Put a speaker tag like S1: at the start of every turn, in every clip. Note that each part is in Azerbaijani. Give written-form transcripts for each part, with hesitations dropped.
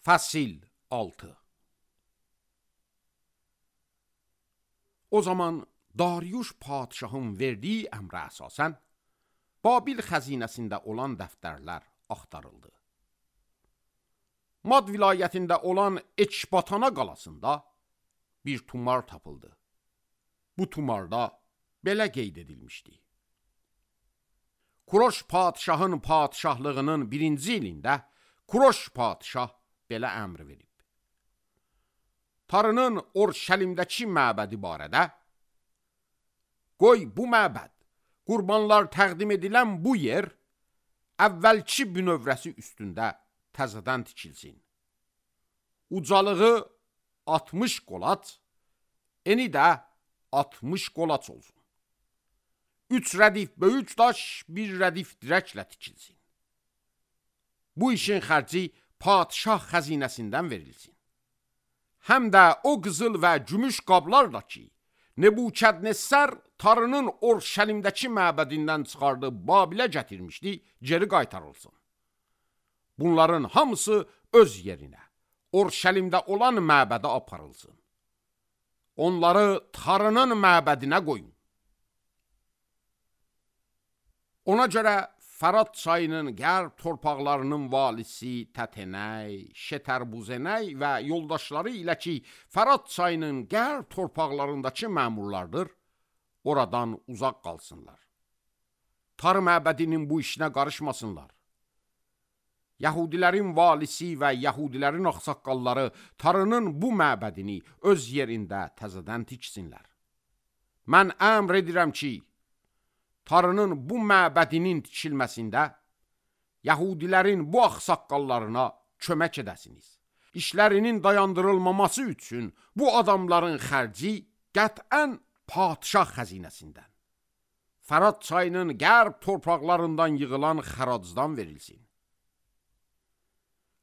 S1: Fəsil 6. O zaman Dariuş padişahın verdiyi əmrə əsasən Babil xəzinəsində olan dəftərlər axtarıldı. Mad vilayətində olan Ekbatana qalasında bir tumar tapıldı. Bu tumarda belə qeyd edilmişdi. Kuroş padişahın padişahlığının 1-ci ilində Kuroş padişah belə əmr verib. Tarının Orşəlimdəki məbədi barədə, qoy bu məbəd, qurbanlar təqdim edilən bu yer, əvvəlki bünövrəsi üstündə təzədən tikilsin. Ucalığı 60 qolaç, eni də 60 qolaç olsun. 3 rədif böyük daş, 1 rədif dirəklə tikilsin. Bu işin xərci padişah xəzinəsindən verilsin. Həm də o qızıl və gümüş qablarla ki, Nebukadnessar Tarının Orşəlimdəki məbədindən çıxardıb Babilə gətirmişdi, geri qaytarılsın. Bunların hamısı öz yerinə, Orşəlimdə olan məbədə aparılsın. Onları Tarının məbədinə qoyun. Ona görə Fərat çayının qərb torpaqlarının valisi Tətenəy, Şetərbuzenəy və yoldaşları ilə ki, Fərat çayının qərb torpaqlarındakı məmurlardır, oradan uzaq qalsınlar. Tar məbədinin bu işinə qarışmasınlar. Yahudilərin valisi və Yahudilərin ağsaqqalları Tarının bu məbədini öz yerində təzədən tiksinlər. Mən əmr edirəm ki, Tarının bu məbədinin tikilməsində Yahudilərin bu ağsaqqallarına kömək edəsiniz. İşlərinin dayandırılmaması üçün bu adamların xərci qətən padişah xəzinəsindən, Fərat çayının qərb torpaqlarından yığılan xəracdan verilsin.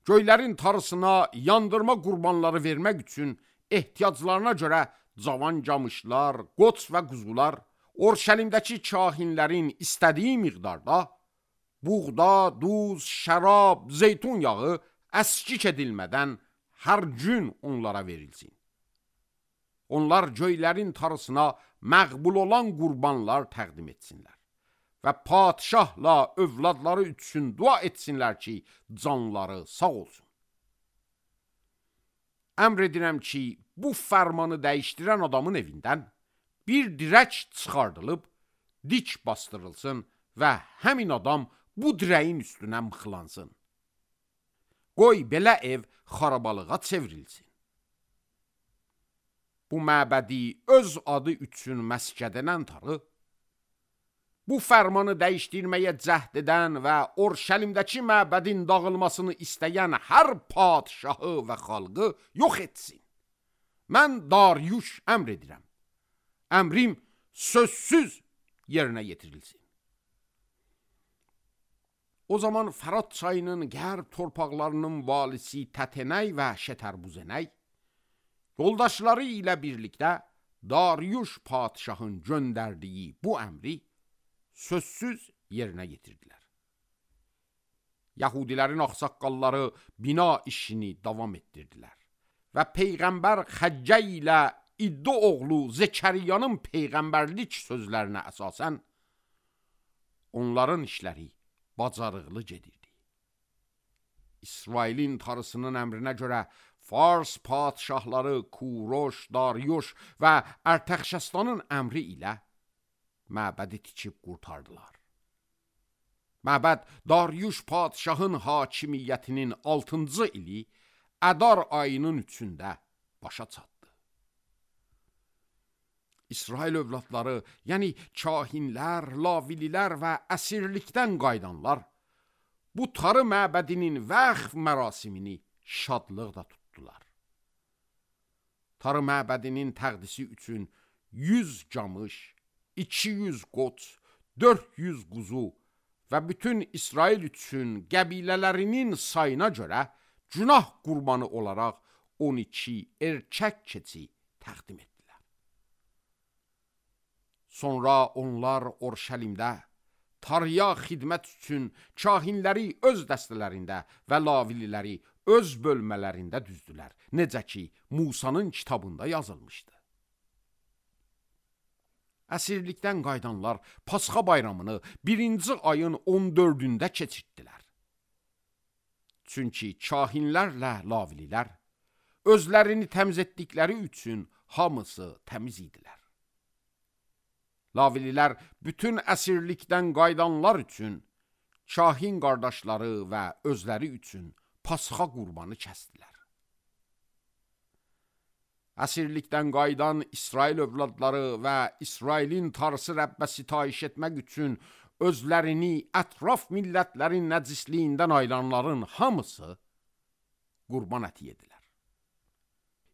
S1: Göylərin tarısına yandırma qurbanları vermək üçün ehtiyaclarına görə cavan camışlar, qoç və quzular, Orşəlimdəki kahinlərin istədiyi miqdarda buğda, duz, şərab, zeytun yağı əskik edilmədən hər gün onlara verilsin. Onlar göylərin tarısına məqbul olan qurbanlar təqdim etsinlər və padişahla övladları üçün dua etsinlər ki, canları sağ olsun. Əmr edirəm ki, bu fərmanı dəyişdirən adamın evindən bir dirək çıxardılıb, dik bastırılsın və həmin adam bu dirəyin üstünə mıxlansın. Qoy belə ev xarabalığa çevrilsin. Bu məbədi öz adı üçün məskən edən Tarı, bu fərmanı dəyişdirməyə cəhd edən və Orşəlimdəki məbədin dağılmasını istəyən hər padişahı və xalqı yox etsin. Mən Dariuş əmr edirəm. Əmrim sözsüz yerinə yetirilsin. O zaman Fərat çayının qərb torpaqlarının valisi Tətenəy və Şetərbuzenəy yoldaşları ilə birlikdə Dariuş padişahın göndərdiyi bu əmri sözsüz yerinə yetirdilər. Yahudilərin ağsaqqalları bina işini davam etdirdilər və Peyğəmbər Xəccə ilə İddo oğlu Zekəriyanın peyğəmbərlik sözlərinə əsasən onların işləri bacarıqlı gedirdi. İsrailin tarısının əmrinə görə Fars padişahları Kuroş, Dariuş və Ərtəxşəstanın əmri ilə məbədi tikib qurtardılar. Məbəd Dariuş padişahın hakimiyyətinin 6-cı ili Ədar ayının 3-də başa çatdı. İsrail övladları, yəni kahinlər, lavililər və əsirlikdən qaydanlar, bu Tarı məbədinin vəqf mərasimini şadlıqla tutdular. Tarı məbədinin təqdisi üçün 100 camış, 200 qoç, 400 quzu və bütün İsrail üçün qəbilələrinin sayına görə günah qurbanı olaraq 12 erkək keçi təqdim etdilər. Sonra onlar Orşəlimdə Tarıya xidmət üçün kahinləri öz dəstələrində və lavililəri öz bölmələrində düzdülər, necə ki, Musanın kitabında yazılmışdı. Əsirlikdən qayıdanlar Pasxa bayramını 1-ci ayın 14-də keçirdilər. Çünki kahinlərlə lavililər özlərini təmiz etdikləri üçün hamısı təmiz idilər. Lavililər bütün əsirlikdən qayıdanlar üçün, kahin qardaşları və özləri üçün Pasxa qurbanı kəsdilər. Əsirlikdən qayıdan İsrail övladları və İsrailin Tanrısı Rəbbə sitayiş etmək üçün özlərini ətraf millətlərin nəcisliyindən ayıranların hamısı qurban əti yedilər.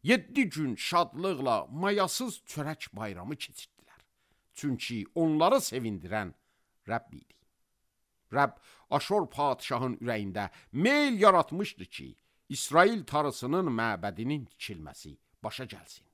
S1: 7 gün şadlıqla mayasız çörək bayramı keçirdilər. Çünki onları sevindirən Rəbb idi. Rəbb Aşor padişahın ürəyində meyl yaratmışdı ki, İsrail Tanrısının məbədinin tikilməsi başa gəlsin.